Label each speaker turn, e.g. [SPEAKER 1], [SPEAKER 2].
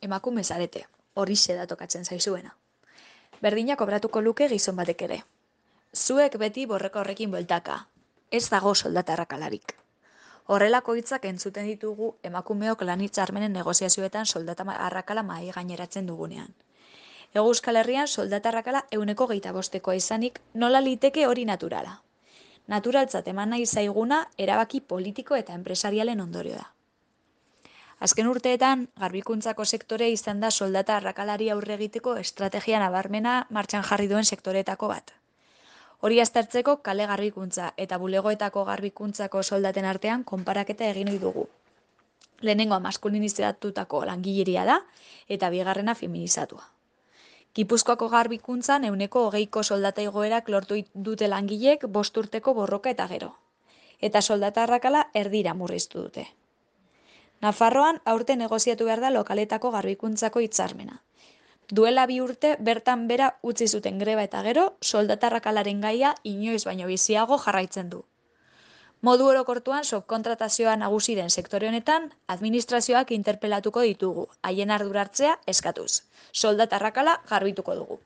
[SPEAKER 1] Emakume zarete, horixe da tokatzen zaizuena. Berdina kobratuko luke gizon batek ere. Zuek beti borroka horrekin bueltaka. Ez dago soldata arrakalarik. Horrelako hitzak entzuten ditugu emakumeok lan hitzarmenen negoziazioetan soldata arrakala mahai gaineratzen dugunean. Hego Euskal Herrian soldata arrakala 125koa izanik nola liteke hori naturala. Naturaltzat eman nahi zaiguna erabaki politiko eta enpresarialen ondorio da. Azken urteetan, garbikuntzako sektore izan da soldata arrakalari aurre egiteko estrategia nabarmena martxan jarri duen sektoreetako bat. Hori aztertzeko kale garbikuntza eta bulegoetako garbikuntzako soldaten artean konparaketa egin ohi dugu. Lehenengoa maskulinizatutako langileria da eta bigarrena feminizatua. Gipuzkoako garbikuntzan 20ko soldata igoerak lortu dute langileek 5 urteko borroka eta gero. Eta soldata arrakala erdira murriztu dute. Nafarroan aurten negoziatu behar da lokaletako garbikuntzako hitzarmena. Duela 2 urte bertan bera utzi zuten greba eta gero, soldata arrakalaren gaia inoiz baino biziago jarraitzen du. Modu orokortuan subkontratazioa nagusi den sektore honetan, administrazioak interpelatuko ditugu, haien ardura hartzea eskatuz. Soldata arrakala garbituko dugu.